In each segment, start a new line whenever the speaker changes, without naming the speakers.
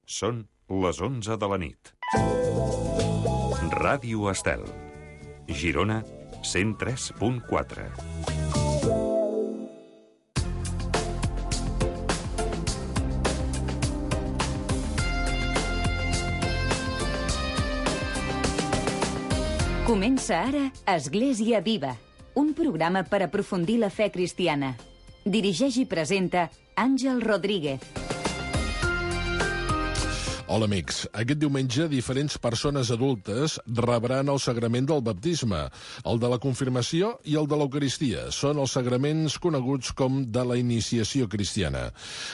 Són les 11 de la nit. Ràdio Estel. Girona, 103.4.
Comença ara Església Viva, un programa per aprofundir la fe cristiana. Dirigeix i presenta Àngel Rodríguez.
Hola, amics. Aquest diumenge diferents persones adultes rebran el sagrament del baptisme, el de la confirmació i el de l'Eucaristia. Són els sagraments coneguts com de la iniciació cristiana.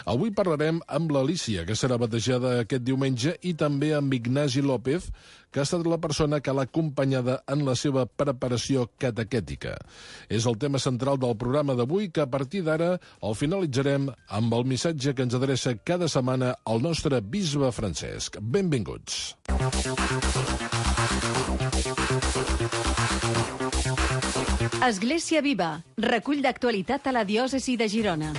Avui parlarem amb l'Alícia, que serà batejada aquest diumenge, i també amb Ignasi López, que ha estat la persona que l'ha acompanyada en la seva preparació catequètica. És el tema central del programa d'avui, que a partir d'ara el finalitzarem amb el missatge que ens adreça cada setmana el nostre bisbe Francesc. Benvinguts.
Església Viva, recull d'actualitat a la diòcesi de Girona.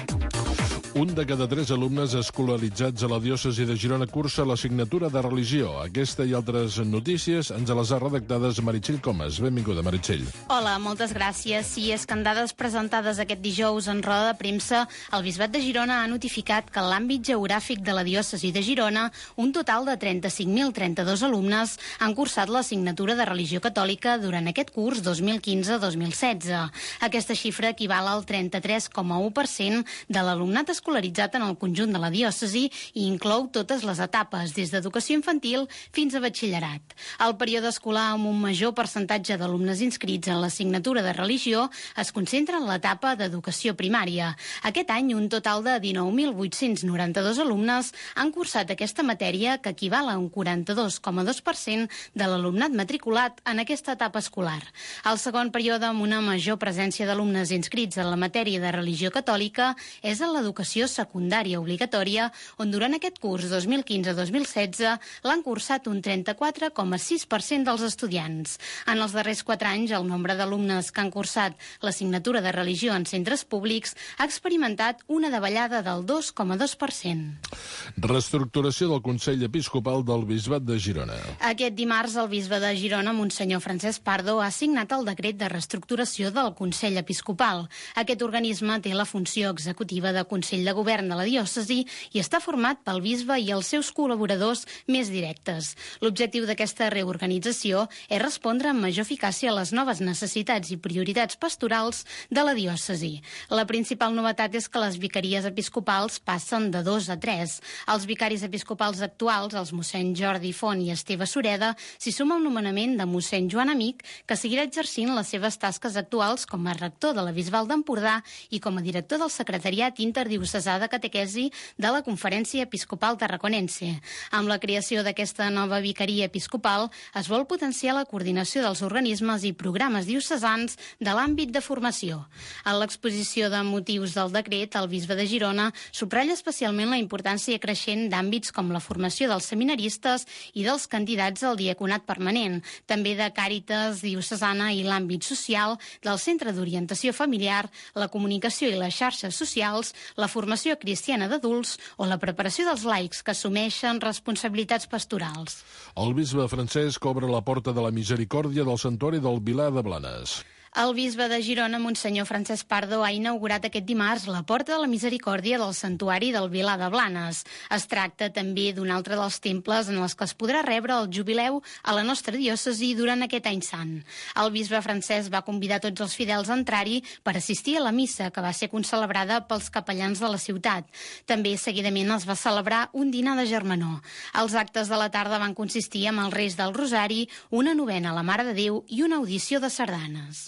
Un de cada 3 alumnes escolaritzats a la diòcesi de Girona cursa l'assignatura de religió. Aquesta i altres notícies ens les ha redactades Meritxell Comas. Benvinguda, Meritxell.
Hola, moltes gràcies. Sí, és que en dades presentades aquest dijous en roda de premsa, el Bisbat de Girona ha notificat que en l'àmbit geogràfic de la diòcesi de Girona, un total de 35.032 alumnes han cursat l'assignatura de religió catòlica durant aquest curs 2015-2016. Aquesta xifra equival al 33,1% de l'alumnat escolaritzat en el conjunt de la diòcesi i inclou totes les etapes, des d'educació infantil fins a batxillerat. El període escolar amb un major percentatge d'alumnes inscrits en l'assignatura de religió es concentra en l'etapa d'educació primària. Aquest any, un total de 19.892 alumnes han cursat aquesta matèria, que equival a un 42,2% de l'alumnat matriculat en aquesta etapa escolar. El segon període amb una major presència d'alumnes inscrits en la matèria de religió catòlica és en l'educació secundària obligatòria, on durant aquest curs 2015-2016 l'han cursat un 34,6% dels estudiants. En els darrers 4 anys, el nombre d'alumnes que han cursat l'assignatura de religió en centres públics ha experimentat una davallada del 2,2%.
Reestructuració del Consell Episcopal del Bisbat de Girona.
Aquest dimarts, el bisbe de Girona, Monsenyor Francesc Pardo, ha signat el decret de reestructuració del Consell Episcopal. Aquest organisme té la funció executiva de Consell de Govern de la diòcesi i està format pel bisbe i els seus col·laboradors més directes. L'objectiu d'aquesta reorganització és respondre amb major eficàcia a les noves necessitats i prioritats pastorals de la diòcesi. La principal novetat és que les vicaries episcopals passen de 2 a 3. Els vicaris episcopals actuals, els mossèn Jordi Font i Esteve Sureda, s'hi suma el nomenament de mossèn Joan Amic, que seguirà exercint les seves tasques actuals com a rector de la Bisbal d'Empordà i com a director del secretariat interdiocesà de catequesi de la Conferència Episcopal Tarraconense. Amb la creació d'aquesta nova vicaria episcopal es vol potenciar la coordinació dels organismes i programes diocesans de l'àmbit de formació. En l'exposició de motius del decret, el bisbe de Girona subratlla especialment la importància creixent d'àmbits com la formació dels seminaristes i dels candidats al diaconat permanent, també de Càritas diocesana i l'àmbit social, del Centre d'Orientació Familiar, la comunicació i les xarxes socials, la formació cristiana d'adults o la preparació dels laics que assumeixen responsabilitats pastorals.
El bisbe Francesc obre la porta de la misericòrdia del santuari del Vilar de Blanes.
El bisbe de Girona, Monsenyor Francesc Pardo, ha inaugurat aquest dimarts la Porta de la Misericòrdia del Santuari del Vilar de Blanes. Es tracta també d'un altre dels temples en els que es podrà rebre el jubileu a la nostra diòcesi durant aquest any sant. El bisbe Francesc va convidar tots els fidels a entrar-hi per assistir a la missa, que va ser concelebrada pels capellans de la ciutat. També seguidament es va celebrar un dinar de germanor. Els actes de la tarda van consistir en el rest del Rosari, una novena a la Mare de Déu i una audició de sardanes.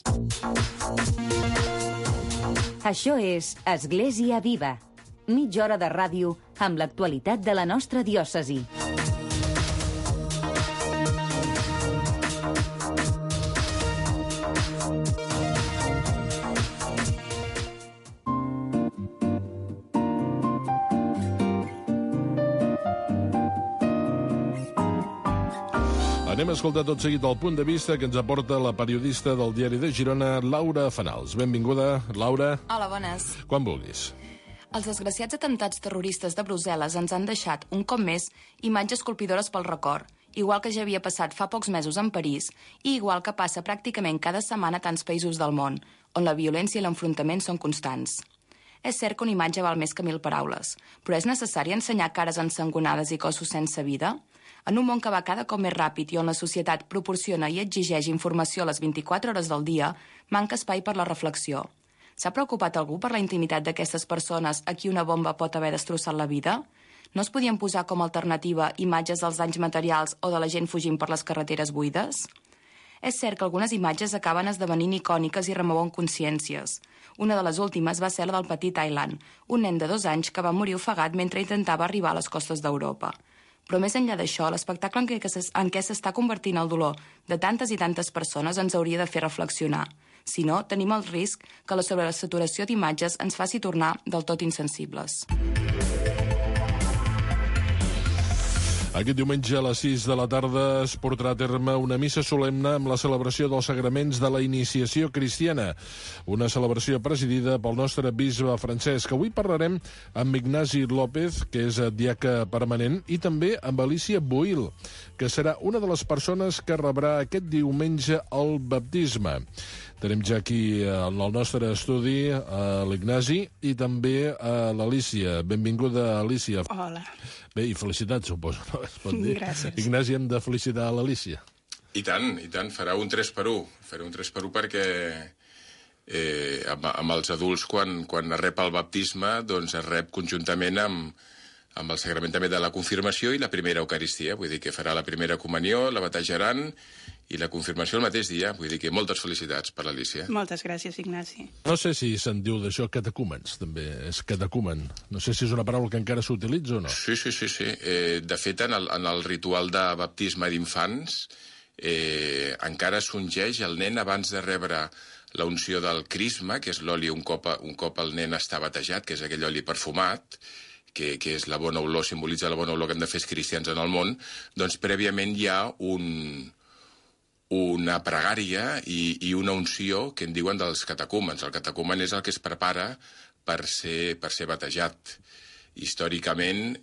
Això és Església Viva, mitja hora de ràdio amb l'actualitat de la nostra diòcesi.
Anem a escoltar tot seguit el punt de vista que ens aporta la periodista del Diari de Girona, Laura Fanals. Benvinguda, Laura.
Hola, bones.
Quan vulguis.
Els desgraciats atemptats terroristes de Brussel·les ens han deixat, un cop més, imatges colpidores pel record, igual que ja havia passat fa pocs mesos en París i igual que passa pràcticament cada setmana a tants països del món, on la violència i l'enfrontament són constants. És cert que una imatge val més que 1000 paraules, però és necessari ensenyar cares ensangonades i cossos sense vida? En un món que va cada cop més ràpid i on la societat proporciona i exigeix informació a les 24 hores del dia, manca espai per la reflexió. S'ha preocupat algú per la intimitat d'aquestes persones a qui una bomba pot haver destrossat la vida? No es podien posar com a alternativa imatges dels danys materials o de la gent fugint per les carreteres buides? És cert que algunes imatges acaben esdevenint icòniques i remouen consciències. Una de les últimes va ser la del petit Aylan, un nen de 2 anys que va morir ofegat mentre intentava arribar a les costes d'Europa. Però més enllà d'això, l'espectacle en què s'està convertint el dolor de tantes i tantes persones ens hauria de fer reflexionar. Si no, tenim el risc que la sobresaturació d'imatges ens faci tornar del tot insensibles.
Aquest diumenge a les 6 de la tarda es portarà a terme una missa solemne amb la celebració dels sagraments de la iniciació cristiana. Una celebració presidida pel nostre bisbe Francesc. Avui parlarem amb Ignasi López, que és diaca permanent, i també amb Alicia Boil, que serà una de les persones que rebrà aquest diumenge el baptisme. Tenim ja aquí en el nostre estudi l'Ignasi i també l'Alicia. Benvinguda, Alicia.
Hola.
Bé, i felicitats, suposo, no? Es pot dir.
Gràcies.
Ignasi, hem de felicitar l'Alicia.
I tant, farà un 3x1. Faré un 3x1 perquè amb els adults, quan es rep el baptisme, doncs es rep conjuntament amb el sagrament també de la confirmació i la primera Eucaristia. Vull dir que farà la primera comunió, la batejaran i la confirmació el mateix dia. Vull dir que moltes felicitats per l'Alicia.
Moltes gràcies, Ignasi.
No sé si se'n diu d'això catecúmens, també. És catecumen. No sé si és una paraula que encara s'utilitza o no.
Sí. De fet, en el ritual de baptisme d'infants encara s'ungeix el nen abans de rebre la unció del crisma, que és l'oli un cop el nen està batejat, que és aquell oli perfumat, que és la bona olor, simbolitza la bona olor que hem de fer els cristians en el món. Doncs prèviament hi ha una pregària i una unció que en diuen dels catecúmens. El catecumen és el que es prepara per ser batejat. Històricament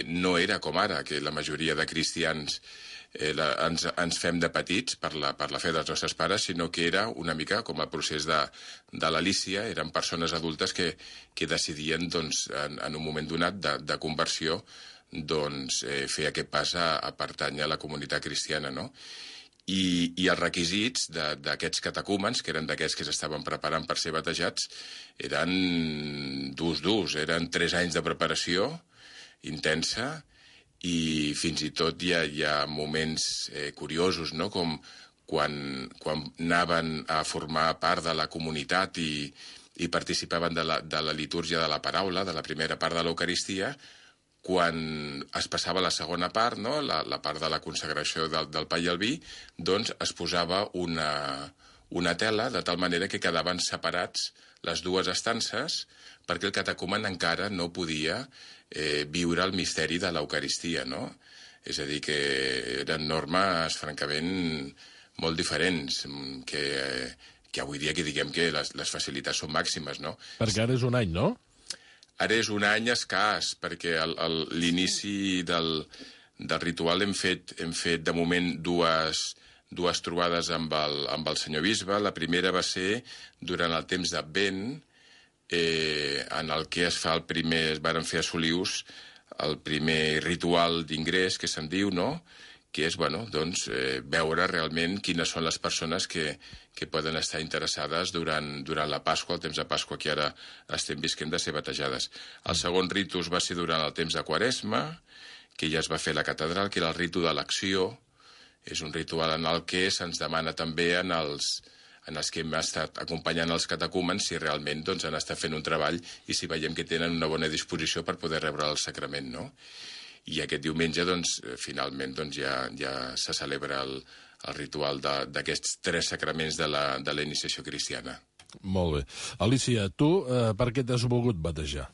no era com ara, que la majoria de cristians ens fem de petits per la fe dels nostres pares, sinó que era una mica com el procés de l'Alícia. Eren persones adultes que decidien, doncs, en un moment donat de conversió, doncs, fer aquest pas a pertànyer a la comunitat cristiana, no? I els requisits d'aquests catecúmens, que eren d'aquests que s'estaven preparant per ser batejats, eren durs. Eren 3 anys de preparació intensa i fins i tot hi ha moments curiosos, no? Com quan anaven a formar part de la comunitat i participaven de la litúrgia de la paraula, de la primera part de l'Eucaristia, quan es passava la segona part, no? la part de la consagració del pa i el vi, doncs es posava una tela de tal manera que quedaven separats les dues estances perquè el catecumen encara no podia viure el misteri de l'Eucaristia, no? És a dir, que eren normes francament molt diferents, que avui dia que diguem que les facilitats són màximes, no?
Perquè ara és un any, no?
Ara és un any escàs, perquè l'inici del ritual hem fet de moment dues trobades amb el senyor bisbe. La primera va ser durant el temps d'Advent, en el que es varen fer a Solius el primer ritual d'ingrés, que se'n diu, no? Que és, doncs, veure realment quines són les persones que poden estar interessades durant la Pasqua, el temps de Pasqua que ara estem visquent, de ser batejades. El segon ritus va ser durant el temps de Quaresma, que ja es va fer a la catedral, que era el ritu de l'acció. És un ritual en el que se'ns demana també en els que hem estat acompanyant els catecúmens si realment doncs, han estat fent un treball i si veiem que tenen una bona disposició per poder rebre el sacrament, no? I aquest diumenge, doncs, finalment, doncs, ja se celebra el ritual d'aquests 3 sacraments de la iniciació cristiana.
Molt bé. Alicia, tu per què t'has volgut batejar?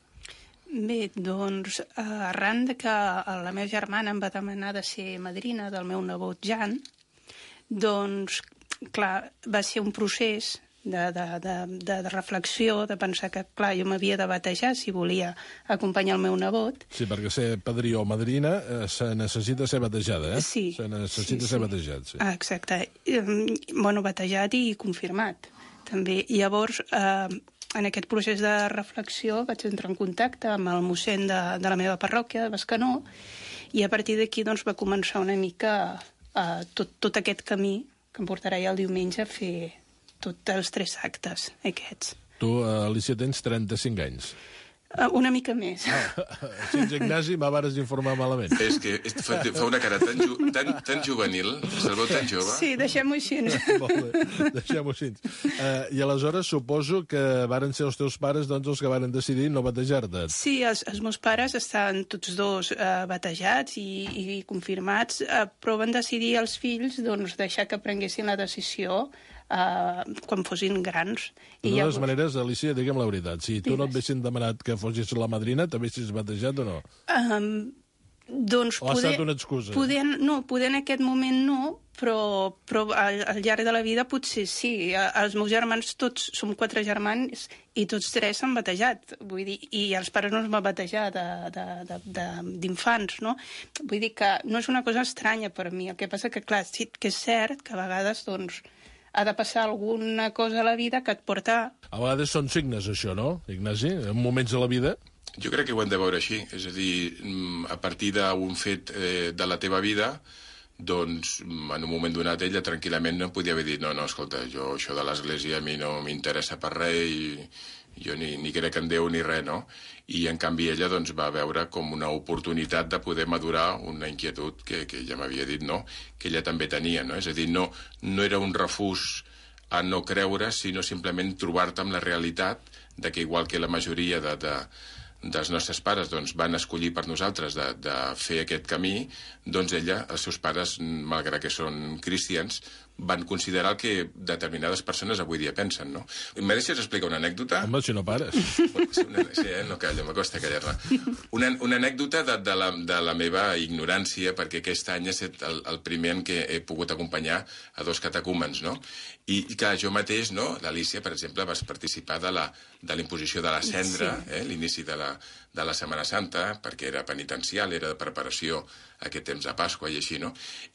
Bé, doncs, arran de que la meva germana em va demanar de ser madrina del meu nebot Jan, doncs, clar, va ser un procés de reflexió, de pensar que, clar, jo m'havia de batejar si volia acompanyar el meu nebot.
Sí, perquè ser padrí o madrina se necessita ser batejada, eh?
Sí.
Se necessita ser batejat, sí.
Exacte. Bueno, batejat i confirmat, també. I llavors, en aquest procés de reflexió vaig entrar en contacte amb el mossèn de la meva parròquia, de Bescanó, i a partir d'aquí doncs, va començar una mica tot aquest camí que em portarà ja el diumenge a fer tots els 3 actes aquests.
Tu, Alicia, tens 35 anys.
Una mica més.
Sant Ignasi, m'haves d'informar malament.
És que fa una cara tan juvenil, se'l veu tan jove.
Sí, deixem-ho així.
Molt bé, deixem-ho així. I aleshores suposo que varen ser els teus pares doncs, els que varen decidir no batejar-te.
Sí, els meus pares estaven tots dos batejats i confirmats, però van decidir els fills doncs, deixar que prenguessin la decisió quan fossin grans.
De totes maneres, Alicia, digue'm la veritat, si tu no et haguessin demanat que fossis la madrina, t'haguessis batejat o no?
Doncs
o ha estat una excusa?
Poder en aquest moment no, però al llarg de la vida potser sí. Els meus germans, tots som 4 germans i tots 3 s'han batejat. Vull dir, i els pares no es van batejar d'infants, no? Vull dir que no és una cosa estranya per mi. El que passa que, clar, sí que és cert que a vegades, doncs, ha de passar alguna cosa a la vida que et porta...
A vegades són signes, això, no, Ignasi? En moments de la vida...
Jo crec que ho hem de veure així. És a dir, a partir d'un fet de la teva vida, doncs, en un moment donat, ella tranquil·lament no podia haver dit no, escolta, jo això de l'església a mi no m'interessa per res i jo ni crec en Déu ni res, no? I, en canvi, ella doncs, va veure com una oportunitat de poder madurar una inquietud que ja m'havia dit, no?, que ella també tenia, no? És a dir, no era un refús a no creure, sinó simplement trobar-te amb la realitat de que, igual que la majoria dels nostres pares doncs, van escollir per nosaltres de fer aquest camí, doncs ella, els seus pares, malgrat que són cristians, van considerar el que determinades persones avui dia pensen, no? Me deixes explicar una anècdota?
Home, si no pares.
Sí, no callo, m'acosta callar-la. Una anècdota de la meva ignorància, perquè aquest any ha estat el primer en què he pogut acompanyar a 2 catecúmens, no? I clar, jo mateix, no? L'Alicia, per exemple, vas participar de la imposició de la cendra, l'inici de la Setmana Santa, perquè era penitencial, era de preparació a aquest temps de Pasqua i així, no?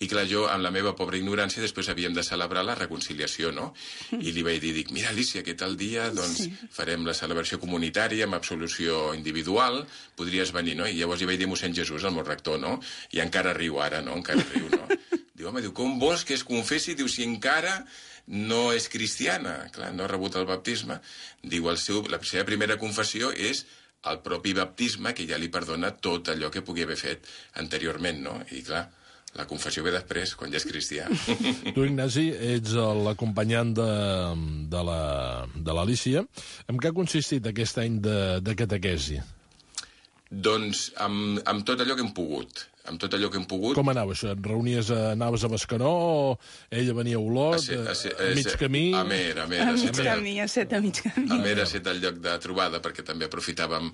I clar, jo, amb la meva pobra ignorància, després havíem de celebrar la reconciliació, no? I li vaig dir, mira, Alicia, que tal dia, doncs, farem la celebració comunitària amb absolució individual, podries venir, no? I llavors hi vaig dir a mossèn Jesús, el meu rector, no? I encara riu ara, no? Encara riu, no? Diu, home, com vols que es confessi? Diu, si encara no és cristiana, clar, no ha rebut el baptisme. Diu, la seva primera confessió és el propi baptisme, que ja li perdona tot allò que pugui haver fet anteriorment, no? I clar, la confessió ve després, quan ja és cristià.
Tu, Ignasi, ets l'acompanyant de l'Alicia. En què ha consistit aquest any de catequesi?
Doncs amb tot allò que hem pogut. Amb tot allò que hem pogut...
Com anava això? Et reunies, anaves a Bescanó, o ella venia a Olot, a mig camí...
A Amer.
A mig camí, a mig camí.
Amer ha estat el lloc de trobada, perquè també aprofitàvem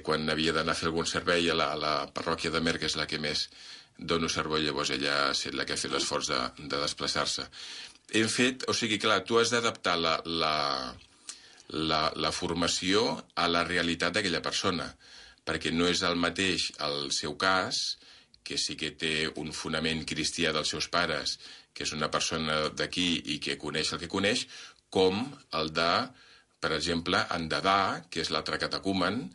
quan havia d'anar a fer algun servei a la parròquia d'Amer, que és la que més dono servei, llavors ella ha estat la que ha fet l'esforç de desplaçar-se. Hem fet... O sigui, clar, tu has d'adaptar la formació a la realitat d'aquella persona, perquè no és el mateix el seu cas, que sí que té un fonament cristià dels seus pares, que és una persona d'aquí i que coneix el que coneix, com el de, per exemple, en Dadà, que és l'altre catecúmen,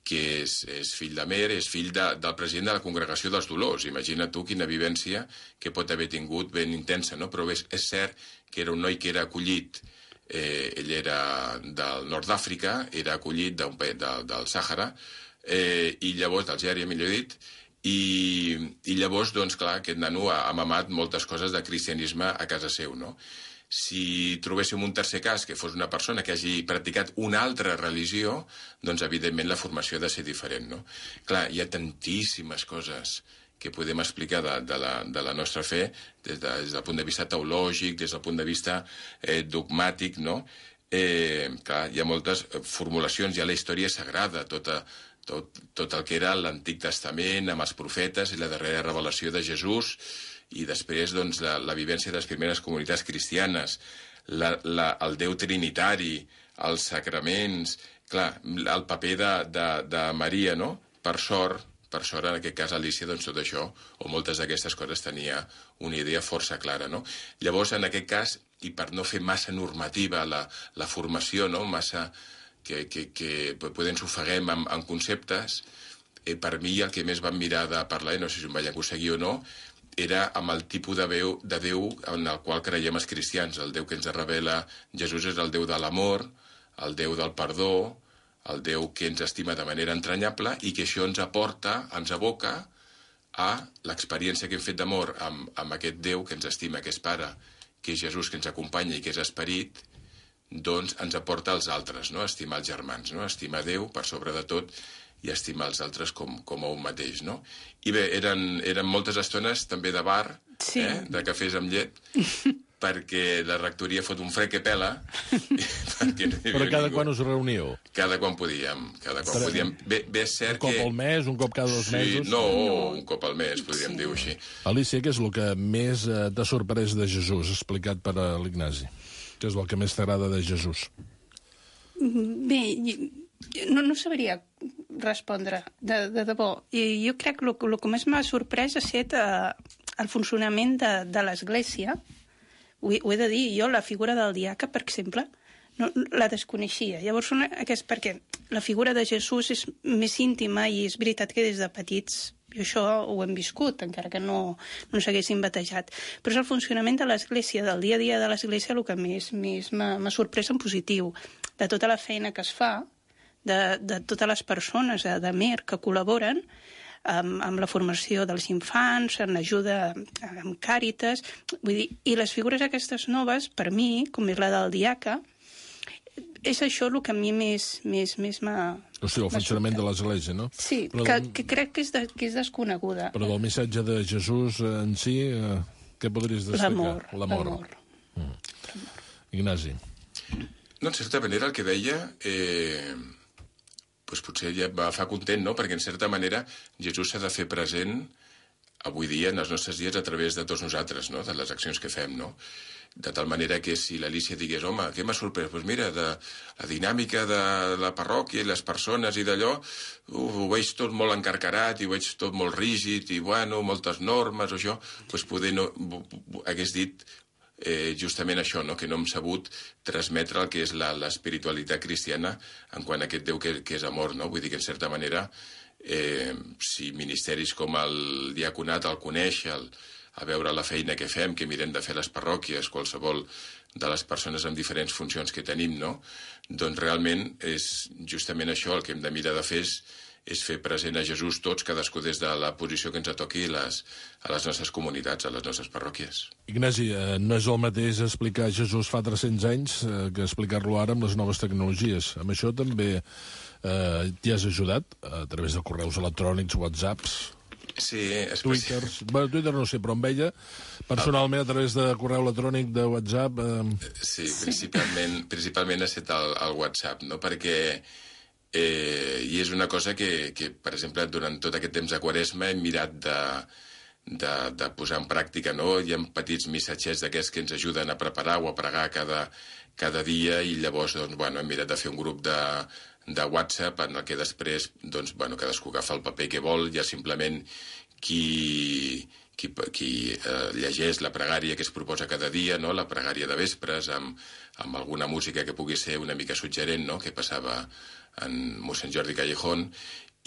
que és fill d'Amer, és fill del president de la Congregació dels Dolors. Imagina tu quina vivència que pot haver tingut ben intensa, no? Però és cert que era un noi que era acollit, ell era del nord d'Àfrica, era acollit del Sàhara, i llavors, d'Algèria, millor dit, i llavors, doncs, clar, aquest nano ha mamat moltes coses de cristianisme a casa seu, no? Si trobéssim un tercer cas, que fos una persona que hagi practicat una altra religió, doncs, evidentment, la formació ha de ser diferent, no? Clar, hi ha tantíssimes coses que podem explicar de la nostra fe des del punt de vista teològic, des del punt de vista dogmàtic, no? Clar, hi ha moltes formulacions, hi ha la història sagrada, tot el que era l'Antic Testament, amb els profetes i la darrera revelació de Jesús, i després doncs, la vivència de les primeres comunitats cristianes, el Déu trinitari, els sacraments, clar, el paper de Maria, no? Per sort, en aquest cas Alicia, doncs tot això, o moltes d'aquestes coses, tenia una idea força clara, no? Llavors, en aquest cas, i per no fer massa normativa la formació, no? Massa que potser ens ofeguem en conceptes, per mi el que més vam mirar de parlar, i no sé si em vaig aconseguir o no, era amb el tipus de Déu en el qual creiem els cristians. El Déu que ens revela Jesús és el Déu de l'amor, el Déu del perdó, el Déu que ens estima de manera entranyable i que això ens aboca a l'experiència que hem fet d'amor amb aquest Déu que ens estima, que és Pare, que és Jesús, que ens acompanya i que és Esperit, doncs ens aporta als altres, no? Estimar els germans, no? Estimar Déu per sobre de tot i estimar els altres com a un mateix, no? I bé, eren moltes estones també de bar,
sí.
De cafès amb llet, perquè la rectoria fot un fred que pela.
Però cada quan us reuniu?
Cada quan podíem. Bé, és cert que...
Un cop al mes, un cop cada 2 mesos?
No, un cop al mes, podríem dir-ho així.
Alicia, què és el que més t'ha sorprès de Jesús, explicat per l'Ignasi? Què és el que més t'agrada de Jesús?
Bé, no sabria respondre, de debò. I jo crec que el que més m'ha sorprès ha estat el funcionament de l'Església. Ho he de dir, jo la figura del diaca, per exemple, no, la desconeixia. Llavors, perquè la figura de Jesús és més íntima i és veritat que des de petits i això ho hem viscut, encara que no s'haguessin batejat. Però és el funcionament de l'Església, del dia a dia de l'Església, el que més m'ha sorprès en positiu, de tota la feina que es fa, de totes les persones de MER que col·laboren amb la formació dels infants, en l'ajuda amb Càritas, vull dir, i les figures aquestes noves, per mi, com és la del diaca, és això el que a mi més m'ha...
O sigui, el funcionament de l'Església, no?
Sí, que crec que és desconeguda.
Però del missatge de Jesús en si, què podries destacar?
L'amor.
Ignasi.
No, en certa manera, el que deia... doncs potser ja va fa content, no? Perquè en certa manera Jesús s'ha de fer present avui dia, en els nostres dies, a través de tots nosaltres, no? De les accions que fem, no? De tal manera que si l'Alicia digués, home, què m'ha sorprès? Doncs mira, de la dinàmica de la parròquia i les persones i d'allò, ho veig tot molt encarcarat i ho veig tot molt rígid i, bueno, moltes normes o això, doncs poder no... hagués dit... justament això, no? Que no hem sabut transmetre el que és l'espiritualitat cristiana en quant a aquest Déu que és amor, no? Vull dir que en certa manera si ministeris com el diaconat el coneix, a veure la feina que fem, que mirem de fer les parròquies, qualsevol de les persones amb diferents funcions que tenim, no? Doncs realment és justament això el que hem de mirar de fer és fer present a Jesús tots, cadascú des de la posició que ens toqui a les nostres comunitats, a les nostres parròquies.
Ignasi, no és el mateix explicar Jesús fa 300 anys que explicar-lo ara amb les noves tecnologies. Amb això també t'hi has ajudat a través de correus electrònics, WhatsApps,
sí,
Twitters... Bueno, Twitter no sé, però amb ella, personalment, a través de correu electrònic, de WhatsApp...
Sí, principalment ha estat el WhatsApp, no? Perquè... i és una cosa que, per exemple, durant tot aquest temps de Quaresma hem mirat de posar en pràctica, no? Hi ha petits missatgets d'aquests que ens ajuden a preparar o a pregar cada dia i llavors doncs, bueno, hem mirat de fer un grup de WhatsApp en el que després doncs, bueno, cadascú agafa el paper que vol, ja simplement qui llegeix la pregària que es proposa cada dia, no? La pregària de vespres amb alguna música que pugui ser una mica suggerent, no? Que passava en mossèn Jordi Callejón,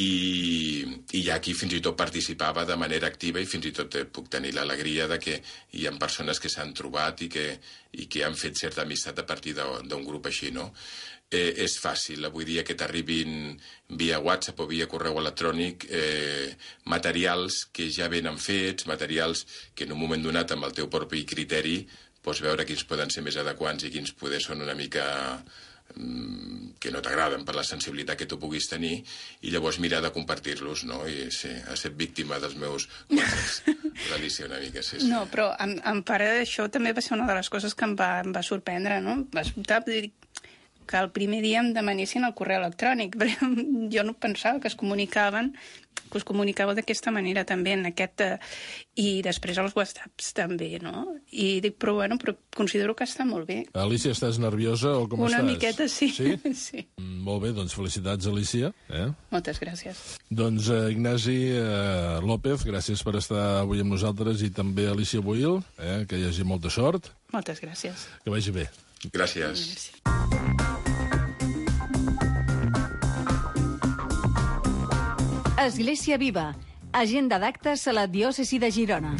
i ja aquí fins i tot participava de manera activa i fins i tot puc tenir l'alegria de que hi ha persones que s'han trobat i que han fet certa amistat a partir d'un grup així, no? És fàcil avui dia que t'arribin via WhatsApp o via correu electrònic materials que ja venen fets, materials que en un moment donat amb el teu propi criteri pots veure quins poden ser més adequats i quins poder són una mica que no t'agraden per la sensibilitat que tu puguis tenir i llavors mirar de compartir-los, no? I sí, ha estat víctima dels meus l'Alicia una mica, sí.
No, però en part d'això també va ser una de les coses que em va sorprendre, no? que el primer dia em demanessin el correu electrònic, perquè jo no pensava que es comunicaven d'aquesta manera també, i després els whatsapps també, no? I dic, però considero que està molt bé.
Alicia, estàs nerviosa o com estàs?
Una miqueta, sí.
Sí?
Sí.
Molt bé, doncs felicitats, Alicia.
Moltes gràcies.
Doncs Ignasi López, gràcies per estar avui amb nosaltres, i també Alicia Boil, que hi hagi molta sort.
Moltes gràcies.
Que vagi bé.
Gràcies.
Església Viva. Agenda d'actes a la diòcesi de Girona.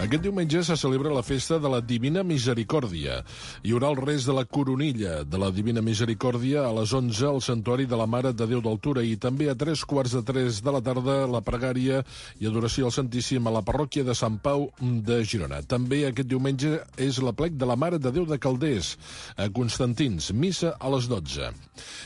Aquest diumenge se celebra la festa de la Divina Misericòrdia. Hi haurà el res de la coronilla de la Divina Misericòrdia a les 11 al Santuari de la Mare de Déu d'Altura, i també a 3:15 de la tarda la pregària i adoració al Santíssim a la parròquia de Sant Pau de Girona. També aquest diumenge és l'aplec de la Mare de Déu de Calders a Constantins, missa a les 12.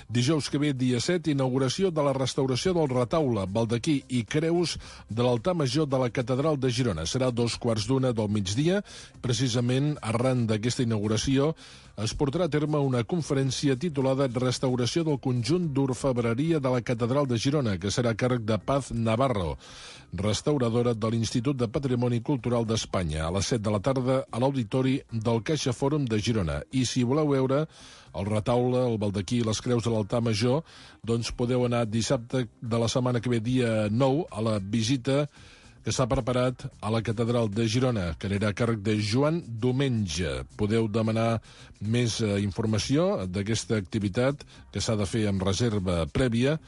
Dijous que ve, dia 7, inauguració de la restauració del retaule, baldaquí i creus de l'altar major de la Catedral de Girona. Serà a 2:15 del migdia. Precisament arran d'aquesta inauguració es portarà a terme una conferència titulada Restauració del conjunt d'orfebreria de la Catedral de Girona, que serà a càrrec de Paz Navarro, restauradora de l'Institut de Patrimoni Cultural d'Espanya, a les 7 de la tarda a l'auditori del Caixa Fòrum de Girona. I si voleu veure el retaule, el baldaquí i les creus de l'altar major, doncs podeu anar dissabte de la setmana que ve, dia 9, a la visita que s'ha preparat a la Catedral de Girona, que anirà a càrrec de Joan Domenge. Podeu demanar més informació d'aquesta activitat, que s'ha de fer amb reserva prèvia,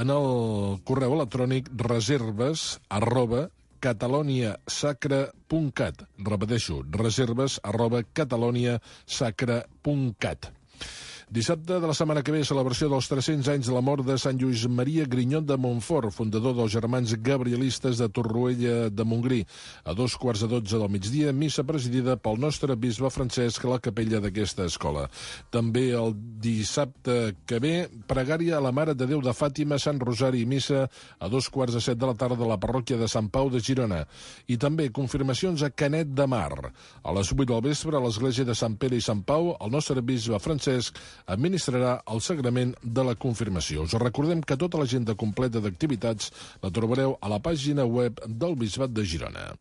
en el correu electrònic reserves@cataloniasacra.cat. Repeteixo, reserves@cataloniasacra.cat. Dissabte de la setmana que ve, celebració dels 300 anys de la mort de Sant Lluís Maria Grinyot de Montfort, fundador dels Germans Gabrielistes de Torroella de Montgrí. A 2:15 del migdia, missa presidida pel nostre bisbe Francesc a la capella d'aquesta escola. També el dissabte que ve, pregària a la Mare de Déu de Fàtima, Sant Rosari i missa a 2:15 de la tarda a la parròquia de Sant Pau de Girona. I també confirmacions a Canet de Mar. A les 8 del vespre, a l'església de Sant Pere i Sant Pau, el nostre bisbe Francesc administrarà el sagrament de la confirmació. Us recordem que tota l'agenda completa d'activitats la trobareu a la pàgina web del Bisbat de Girona.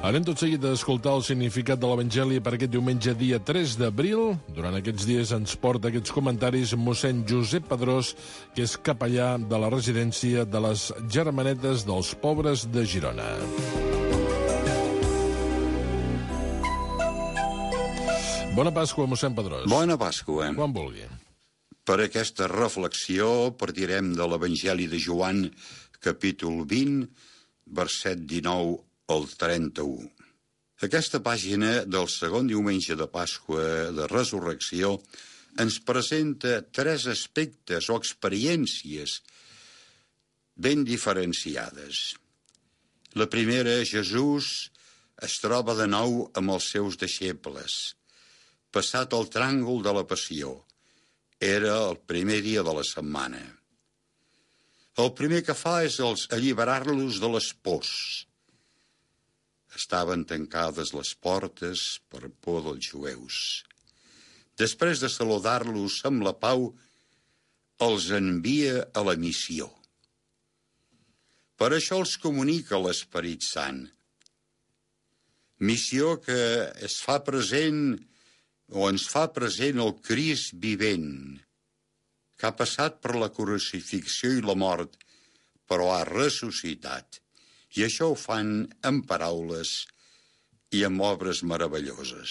Anem tot seguit a escoltar el significat de l'Evangeli per aquest diumenge, dia 3 d'abril. Durant aquests dies ens porta aquests comentaris mossèn Josep Pedrós, que és capellà de la residència de les Germanetes dels Pobres de Girona. Bona Pasqua, mossèn Pedrós.
Bona Pasqua.
Quan vulgui.
Per aquesta reflexió partirem de l'Evangeli de Joan, capítol 20, verset 19 al 31. Aquesta pàgina del segon diumenge de Pasqua de Resurrecció ens presenta 3 aspectes o experiències ben diferenciades. La primera, Jesús es troba de nou amb els seus deixebles, passat el tràngol de la Passió. Era el primer dia de la setmana. El primer que fa és alliberar-los de les pors. Estaven tancades les portes per por dels jueus. Després de saludar-los amb la pau, els envia a la missió. Per això els comunica l'Esperit Sant. Missió que ens fa present el Crist vivent, que ha passat per la crucifixió i la mort, però ha ressuscitat. I això ho fan amb paraules i amb obres meravelloses.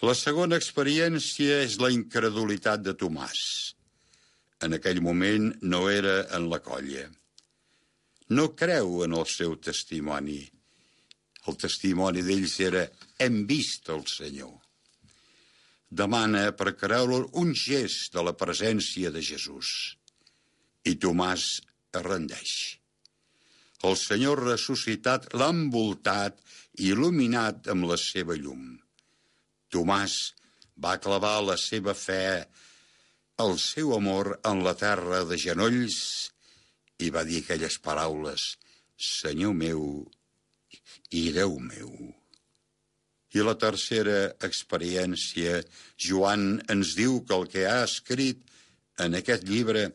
La segona experiència és la incredulitat de Tomàs. En aquell moment no era en la colla. No creu en el seu testimoni. El testimoni d'ells era: hem vist el Senyor. Demana per creure un gest de la presència de Jesús. I Tomàs es rendeix. El Senyor ressuscitat l'ha envoltat i il·luminat amb la seva llum. Tomàs va clavar la seva fe, el seu amor en la terra de genolls i va dir aquelles paraules: Senyor meu i Déu meu. I la tercera experiència, Joan ens diu que el que ha escrit en aquest llibre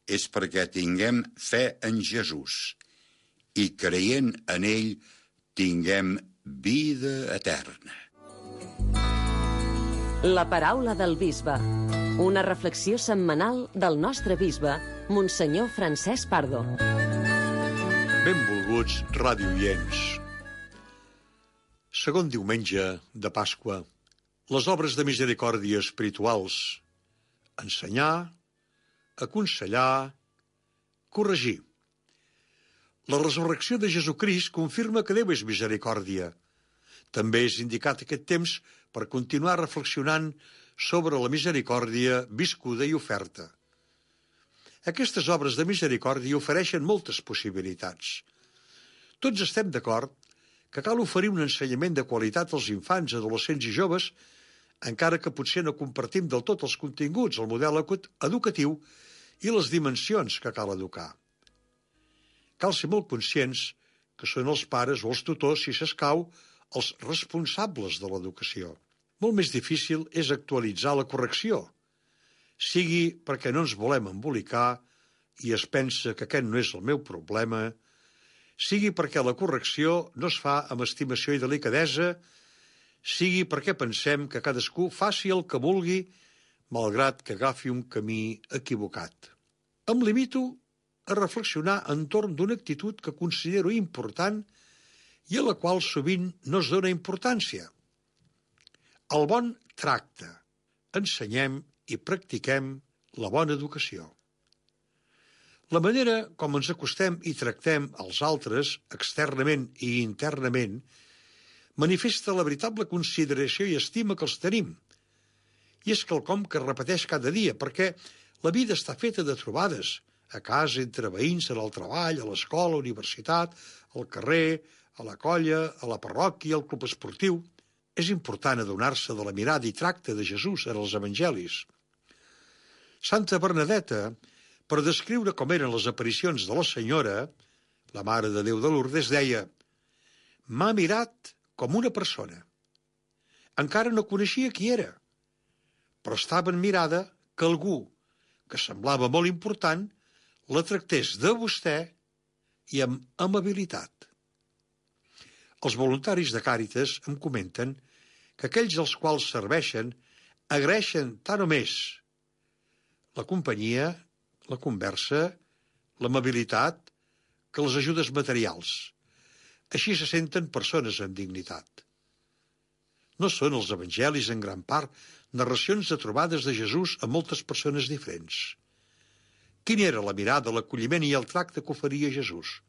és perquè tinguem fe en Jesús i creient en ell tinguem vida eterna.
La paraula del bisbe. Una reflexió setmanal del nostre bisbe, Monsenyor Francesc Pardo.
Benvolguts radioients. Segon diumenge de Pasqua, les obres de misericòrdia espirituals: ensenyar, aconsellar, corregir. La resurrecció de Jesucrist confirma que Déu és misericòrdia. També és indicat aquest temps per continuar reflexionant sobre la misericòrdia viscuda i oferta. Aquestes obres de misericòrdia ofereixen moltes possibilitats. Tots estem d'acord que cal oferir un ensenyament de qualitat als infants, adolescents i joves, encara que potser no compartim del tot els continguts, el model educatiu i les dimensions que cal educar. Cal ser molt conscients que són els pares o els tutors, si s'escau, els responsables de l'educació. Molt més difícil és actualitzar la correcció, sigui perquè no ens volem embolicar i es pensa que aquest no és el meu problema, sigui perquè la correcció no es fa amb estimació i delicadesa, sigui perquè pensem que cadascú faci el que vulgui, malgrat que agafi un camí equivocat. Em limito a reflexionar entorn d'una actitud que considero important i a la qual sovint no es dona importància. El bon tracte. Ensenyem i practiquem la bona educació. La manera com ens acostem i tractem als altres, externament i internament, manifesta la veritable consideració i estima que els tenim. I és quelcom que es repeteix cada dia, perquè la vida està feta de trobades, a casa, entre veïns, en el treball, a l'escola, a la universitat, al carrer, a la colla, a la parròquia, al club esportiu. És important adonar-se de la mirada i tracte de Jesús en els evangelis. Santa Bernadeta, per descriure com eren les aparicions de la Senyora, la Mare de Déu de Lourdes, deia: «M'ha mirat com una persona. Encara no coneixia qui era, però estava admirada que algú que semblava molt important la tractés de vostè i amb amabilitat». Els voluntaris de Càritas em comenten que aquells als quals serveixen agraeixen tant o més la companyia, la conversa, l'amabilitat, que les ajudes materials. Així se senten persones amb dignitat. No són els evangelis, en gran part, narracions de trobades de Jesús amb moltes persones diferents. Quina era la mirada, l'acolliment i el tracte que oferia Jesús?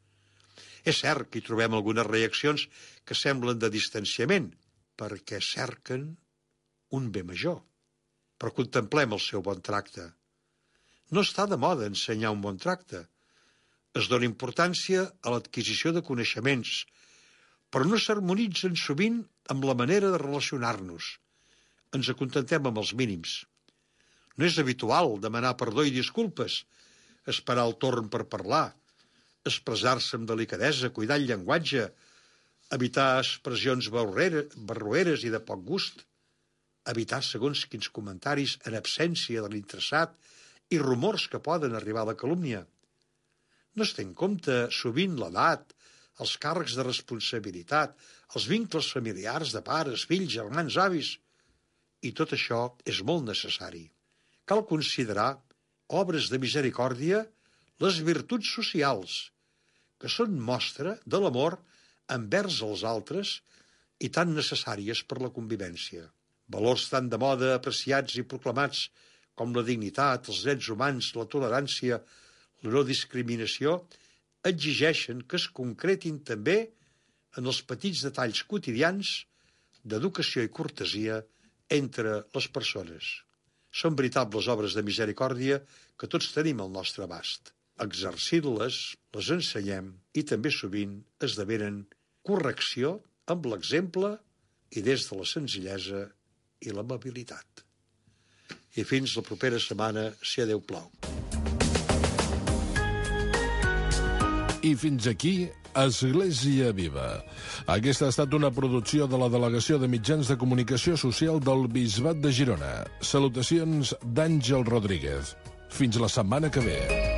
És cert que hi trobem algunes reaccions que semblen de distanciament, perquè cerquen un bé major. Però contemplem el seu bon tracte. No està de moda ensenyar un bon tracte. Es dona importància a l'adquisició de coneixements, però no s'harmonitzen sovint amb la manera de relacionar-nos. Ens acontentem amb els mínims. No és habitual demanar perdó i disculpes, esperar el torn per parlar, expressar-se amb delicadesa, cuidar el llenguatge, evitar expressions barroeres i de poc gust, evitar segons quins comentaris en absència de l'interessat i rumors que poden arribar a la calúmnia. No es té en compte sovint l'edat, els càrrecs de responsabilitat, els vincles familiars de pares, fills, germans, avis, i tot això és molt necessari. Cal considerar obres de misericòrdia les virtuts socials, que són mostra de l'amor envers els altres i tan necessàries per la convivència. Valors tan de moda apreciats i proclamats com la dignitat, els drets humans, la tolerància, la no discriminació, exigeixen que es concretin també en els petits detalls quotidians d'educació i cortesia entre les persones. Són veritables obres de misericòrdia que tots tenim al nostre abast. Exercint-les, les ensenyem i també sovint esdevenen correcció amb l'exemple i des de la senzillesa i l'amabilitat. I fins la propera setmana, si a Déu plau.
I fins aquí, Església Viva. Aquesta ha estat una producció de la Delegació de Mitjans de Comunicació Social del Bisbat de Girona. Salutacions d'Àngel Rodríguez. Fins la setmana que ve.